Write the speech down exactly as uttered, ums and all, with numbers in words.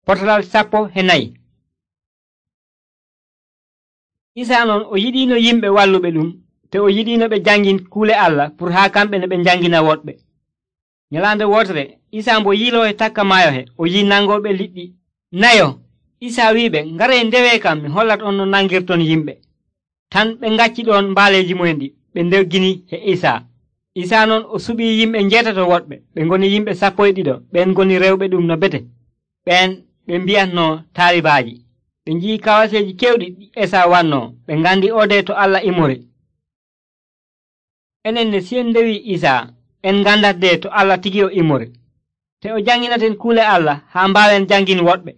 Potalal sappo e nayi. Isaa non o yiɗino yimɓe walluɓe ɗum, te o yiɗino ɓe jangin kuule Allah pour haa kamɓe ne ɓe jangina woɗɓe. Nyalaande wotere Isaa mbo yiloo e takka maayo he, o yi nangoɓe liɗɗi nayo. Isaa wi'iɓe, ngaree ndewe kam mi hollat on no nangirton yimɓe. Tan ɓe ngacci ɗon mbaaleeji mumen ɗi, ɓe ndoggini e Isaa. Isaa non o suɓii yimɓe njeetato woɗɓe, ɓe ngoni yimɓe sappo e ɗiɗo, ɓen ngoni rewɓe ɗum no bete. ɓen ɓe mbiyatnoo taalibaaji. ɓe nji'i kawaseeji kewɗi ɗi Esaa wannoo, ɓe ngandi odee to Allah imori. Enen ne si en ndewi Isaa, en ngandatdee to Allah tigi o imori. Te o janginaten kuule Allah haa mbaawen jangin woɗɓe.